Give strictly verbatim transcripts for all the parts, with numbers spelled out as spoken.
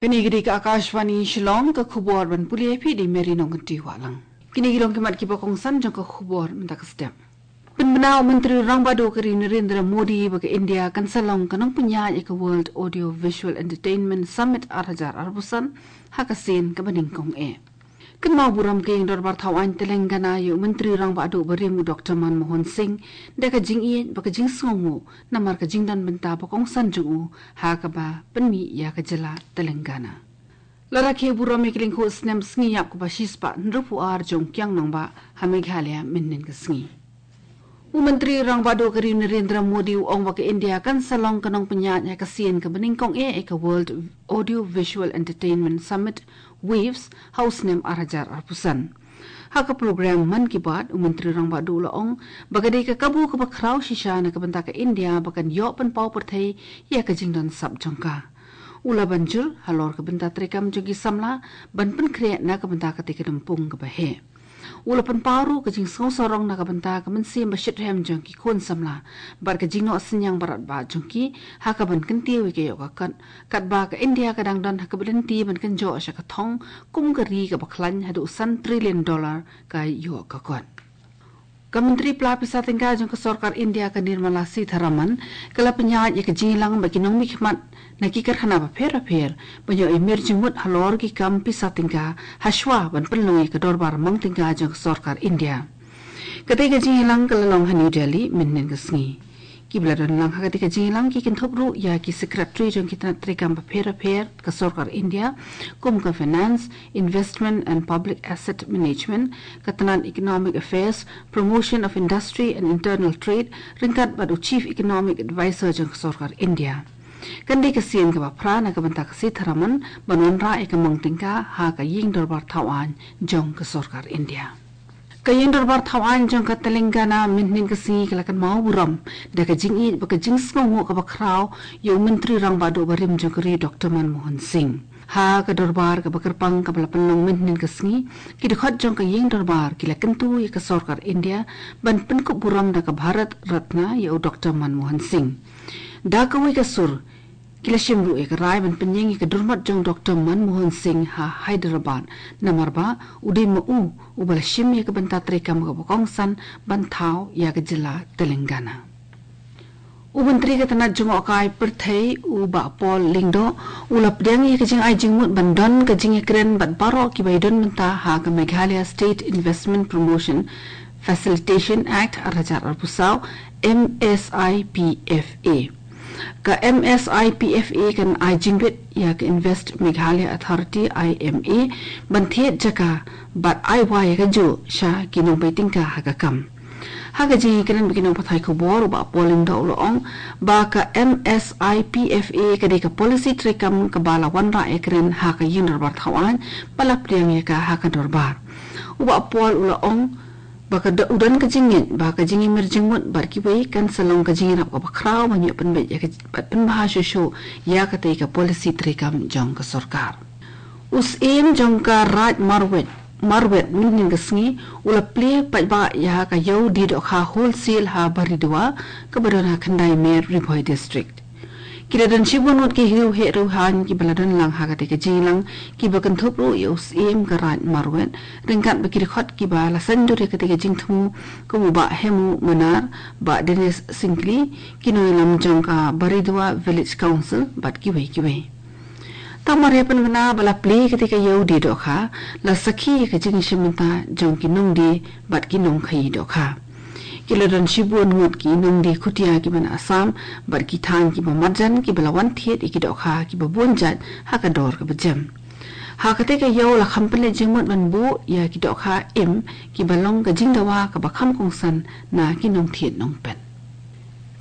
Kane ka dei ka Akashvani Shillong, ka khubor ban pule ïa phi da i Mary Nongkynrih Wahlang. Kine ki long ki mat kiba kongsan jong ka khubor mynta ka step. Pynbna u Myntri Rangbah Duh ka ri Narendra Modi ba ka India kan sa long ka nongpynïaid ïa ka World Audio Visual Entertainment Summit ar hajar arphew san ha ka sien kaba nyngkong eh. Kynmaw burom ka ïing dorbar thaw aiñ Telangana ïa u Myntri Rangbah Duh barim u Doktor Manmohan Singh da ka jingïeit bad ka jingsngewnguh namar ka jingdon bynta ba kongsan jong u ha kaba pynmih ïa ka jylla Telangana. La rakhe burom ïa ka lyngkhuh snem sngi ïap kaba shispah hynriewphew ar jong u Kiang Nangbah ha Meghalaya mynhynnin ka sngi. U Myntri Rangbah Duh ka ri Narendra Modi u ong ba ka India kan sa long ka nongpynïaid ha ka sien kaba nyngkong eh ïa ka World Audio Visual Entertainment Summit, WAVES, ha u snem ar hajar arphew san. Ha ka program Mann Ki Baat, u Myntri Rangbah Duh u la ong ba ka dei ka kabu kaba khraw shisha na ka bynta ka India ba kan ïoh pynpaw pyrthei ïa ka jingdon sap jong ka. U la ban jur halor ka bynta treikam jong ki samla ban pynkhreh na ka bynta katei ka lympung kaba heh. U la pynpaw ruh ka jingsngewsarong na ka bynta ka mynsiem ba shitrhem jong ki khun samla bad ka jingnoh synñiang baroh ba jong ki ha kaban kyntiew ïa ka ïoh ka kot, katba ka India ka dang don ha kaba lynti ban kynjoh sha ka thong kum ka ri kaba khlaiñ haduh san trillion dollar ka ïoh ka kot. Ka Myntri Pla Pisa Tyngka jong ka Sorkar India ka Nirmala Sitharaman ka la pynïaid ïa ka jingïalang bad ki nongmihkhmat na ki karkhana bapher bapher ban ïoh imir jingmut halor ki kam pisa tyngka hashwa ban pynlong ïa ka dorbar mang tyngka jong ka Sorkar India. Katei ka jingïalang ka la long ha New Delhi mynhynnin ka sngi. Kiba la don lang ha katei ka jingïalang ki kynthup ruh ïa ki Secretary jong ki tnat treikam bapher bapher ka Sorkar India, kum ka Finance, Investment and Public Asset Management, ka tnat Economic Affairs, Promotion of Industry and Internal Trade, ryngkat bad u Chief Economic Advisor jong ka Sorkar India. Kan dei ka sien kaba phra na ka bynta ka Sitharaman ban wanrah ïa ka mang tyngka ha ka ïing dorbar thaw aiñ jong ka Sorkar India. Ka ïing dorbar thaw aiñ jong ka Telangana mynhynnin ka sngi ka la kynmaw burom da ka jingïeit bad ka jingsngewnguh kaba khraw ïa u Myntri Rangbah Duh barim jong ka ri Doktor Manmohan Singh. Ha ka dorbar kaba kyrpang kaba la pynlong mynhynnin ka sngi, ki dkhot jong ka ïing dorbar ki la kyntu ïa ka Sorkar India ban pynkup burom da ka Bharat Ratna ïa u Doktor Manmohan Singh. Da kawei ka sur, ki la shim ruh ïa ka rai ban pynïeng ïa ka durmot jong Doktor Manmohan Singh ha Hyderabad, namar ba u dei ma u uba la shim ïa ka bynta treikam kaba kongsan ban thaw ïa ka jylla Telangana. U Myntri ka tnat jngohkai pyrthei u Bah Paul Lyngdoh u la pdiang ïa ka jingai jingmut ban don ka jingïakren bad baroh kiba ïadon bynta ha ka Meghalaya State Investment Promotion Facilitation Act ar hajar arphew saw, M S I P F A. Ka M S I P F A kan ai jingbit ïa ka Invest Meghalaya Authority, I M A, ban thied jaka bad ai wai ïa kajuh sha ki nongbai tyngka ha ka kam. Ha ka jingïakren bad ki nongpathai khubor, u Bah Paul Lyngdoh u la ong ba ka M S I P F A ka dei ka policy treikam kaba la wanrah ïakren ha ka ïing dorbar thaw aiñ ba la pdiang ïa ka ha ka dorbar. U Bah Paul u la ong ba ka do-, u don ka jingngeit ba ka jingïamir jingmut bad kiwei kan sa long ka jingïarap kaba khraw ban ïoh pynbeit ïa ka bad pynbha shuh shuh ïa katei ka policy treikam jong ka sorkar. U Syiem jong ka Raid Marwet, Marwet mynhynnin ka sngi u la plie paidbah ïa ka ïew die dohkha wholesale ha Baridua kaba don ha Khyndai Mer, Ri Bhoi District. Ki la don shibun ngut ki riewheh riewhaiñ kiba la don lang ha katei ka jingïalang, kiba kynthup ruh ïa u Syiem ka Raid Marwet ryngkat bad ki dkhot kiba la saiñdur ïa katei ka jingthmu kum u Bah Hemu Manar, Bah Dennis Syngkli, ki nongïalam jong ka Baridua Village Council bad kiwei kiwei. Tang mar ïa pynbna ba la plie katei ka ïew die dohkha, la sakhi ïa ka jingïashim bynta jong ki nongdie bad ki nongkhaïi dohkha. Ki la don shibun ngut ki nongdie khutia kiba na Assam bad ki thaiñ kiba marjan kiba la wan thied ïa ki dohkha kiba bun jait ha ka dor kaba jem. Ha katei ka ïew la kham pynleit jingmut ban buh ïa ki dohkha im kiba long ka jingdawa kaba kham kongsan na ki nongthied nongpet.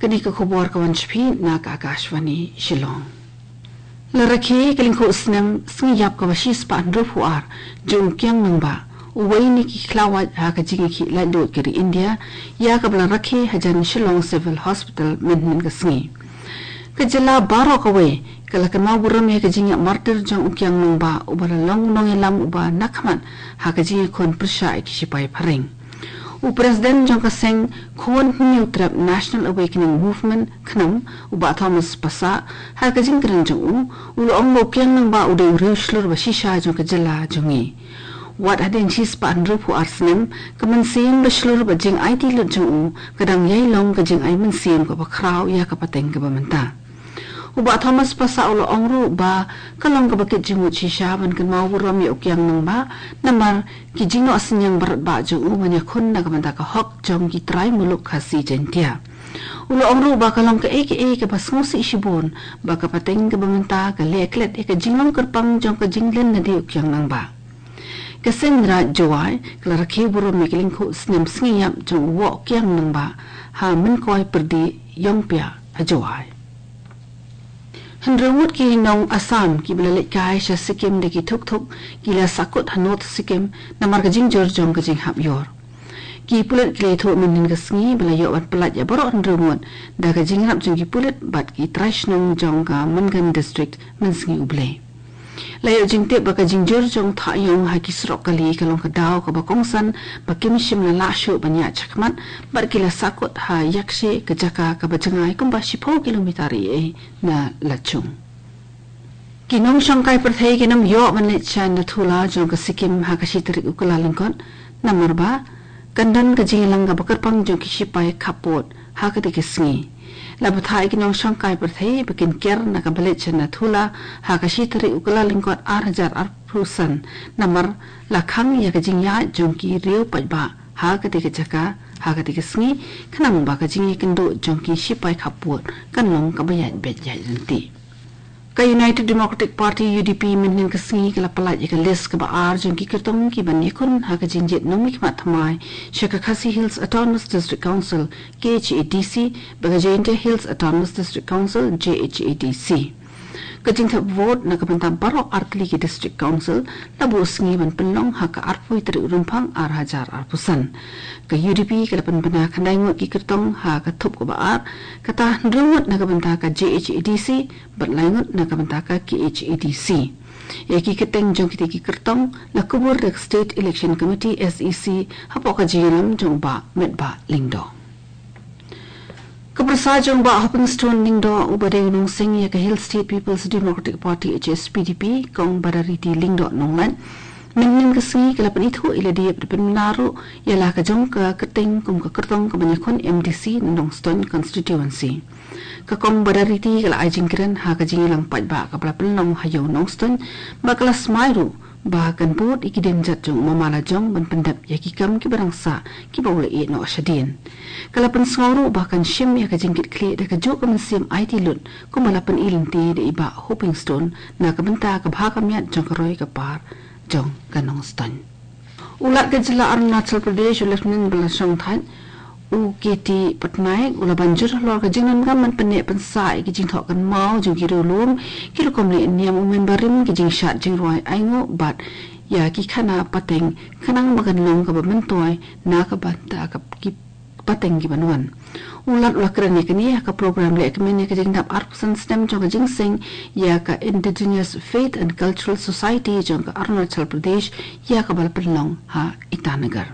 Kane ka khubor ka wan sha phi na ka Akashvani Shillong. La rakhe ka lyngkhuh snem sngi ïap kaba shispah hynriewphew ar jong u Kiang Nangbah, uwei na ki khlawait ha ka jingïakhih laitluid ka ri India, ïa kaba la rakhe hajan Shillong Civil Hospital mynhynnin ka sngi. Ka jylla baroh kawei ka la kynmaw burom ïa ka jingïap martyr jong u Kiang Nangbah, uba la long u nongïalam uba nakhmat ha ka jingïakhun pyrshah ïa ki shipai phareng. U President jong ka seng Khun Hynñiewtrep National Awakening Movement, KHNAM, u Bah Thomas Passah, ha ka jingkren jong u, u la ong ba u Kiang Nangbah u dei u riew shlur ba shisha jong ka jylla jong ngi. Wat hadien shispah hynriewphew ar snem, ka mynsiem ba shlur bad jingaiti lut jong u ka dang ïai long ka jingai mynsiem kaba khraw ïa ka pateng kaba mynta. U Bah Thomas Passah u la ong ruh ba ka long kaba kit jingmut shisha ban kynmaw burom ïa u Kiang Nangbah, namar ki jingnoh synñiang baroh bah jong u ban ïakhun na ka bynta ka hok jong ki trai muluk Khasi Jaiñtia. U la ong ruh ba ka long kaei kaei kaba sngewsih shibun ba ka pateng kaba mynta ka leh klet ïa ka jinglong kyrpang jong ka jingleh nadien u Kiang Nangbah. Ka seng Raij Jowai ka la rakhe burom ïa ka lyngkhuh snem sngi ïap jong u Woh Kiang Nangbah ha Mynkoi Pyrdi Iongpia ha Jowai. Hynriew ngut ki nong Assam kiba la leit kai sha Sikkim da ki thuk thuk ki la sahkut ha North Sikkim namar ka jingjur jong ka jinghap ïor. Ki pulit ki la ïathuh mynhynnin ka sngi ba la ïoh ban pyllait ïa baroh hynriew ngut da ka jingïarap jong ki pulit bad ki trai shnong jong ka Mangan District mynsngi U Blei. La ïoh jingtip ba ka jingjur jong u thah ïong ha ki surok kali ka long ka daw kaba kongsan ba kim shym la lah shuh ban ïaid shakhmat bad ki la sahkut ha Yakshe, ka jaka kaba jngai kumba shiphew kilometer ïa na Lachung. Ki nongshong kai pyrthei kin ym ïoh ban leit sha Nathula jong ka Sikkim ha ka shi tarik u Kyllalyngkot namar ba kan don ka jingïalang kaba kyrpang jong ki shipai khappud ha katei ka sngi. La bthah ïa ki nongshong kai pyrthei ba kin ker na kaba leit sha Nathula ha ka shi tarik u Kyllalyngkot ar hajar arphew san namar la khang ïa ka jingïaid jong ki riew paidbah ha katei ka jaka ha katei ka sngi, khnang ba ka jingïakynduh jong ki shipai khappud kan long kaba ïaid beit ïaid ryntih. Ka United Democratic Party, U D P, mynhynnin ka sngi ka la pyllait ïa ka list kaba ar jong ki kyrtong kiban ïakhun ha ka jingjied nongmihkhmat thymmai sha ka Khasi Hills Autonomous District Council, K H A D C, bad ka Jaintia Hills Autonomous District Council, J H A D C. Ka jingthep vote na ka bynta baroh ar tylli ki District Council la buh sngi ban pynlong ha ka arphew tarik u Rymphang ar hajar arphew san. Ka U D P ka la pynbna khyndai ngut ki kyrtong ha ka thup kaba ar, kata hynriew ngut na ka bynta ka J H A D C bad lai ngut na ka bynta ka K H A D C. Ïa ki kyrteng jong kitei ki kyrtong la kubur da ka State Election Committee, S E C, hapoh ka jingïalam jong u Bah Metbah Lyngdoh. Ka pyrsa jong u Bah Hopingstone Lyngdoh uba dei u nongseng ïa ka Hill State People's Democratic Party, H S P D P, Kong Badariti Lyngdoh Nonglait, mynhynnin ka sngi ka la pynithuh ïa lade bad pynbna ruh ïa la ka jong ka kyrteng kum ka kyrtong kaban ïakhun M D C na Nongstoiñ Constituency. Ka Kong Badariti ka la ai jingkren ha ka jingïalang paidbah kaba la pynlong ha Ïew Nongstoiñ bad ka la smai ruh ba kan bud ïa ki dienjat jong u mama lajong ban pyndep ïa ki kam kiba dang sah kiba u la ïeh noh shadien. Ka la pynsngew ruh ba kan shim ïa ka jingkitkhlieh da kajuh ka mynsiem aiti lut kumba la pyni lynti da i Bah Hopingstone na ka bynta ka bha ka miat jong ka roi ka par jong ka Nongstoiñ. U Lat ka jylla Arunachal Pradesh, u Lieutenant Bala Shongthait, u K T Patnaik, u la ban jur halor ka jingdonkam ban pynneh pynsah ïa ki jingthoh kynmaw jong ki riewlum, ki rukom leh niam, u member rim, ki jingshad jingrwai ainguh bad ïa ki khana pateng, khnang ba kan long kaba myntoi na ka bynta ka ki pateng kiban wan. U Lat u la kren ïa kane ha ka program lehkmen ïa ka jingdap arphew san snem jong ka jingseng ïa ka Indigenous Faith and Cultural Society jong ka Arunachal Pradesh, ïa kaba la pynlong ha Itanagar.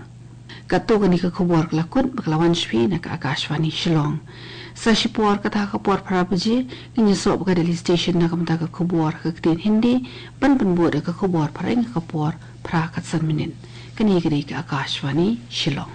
Katto kane ka khubor ka la kut bad ka la wan sha phi na ka Akashvani Shillong. Sa shipor kata ha ka por phra baje ngin ïasoh bad ka Delhi Station na ka bynta ka khubor ha ka ktien Hindi, ban pynbud da ka khubor phareng ha ka por phra khatsan minit. Kane ka dei ka Akashvani Shillong.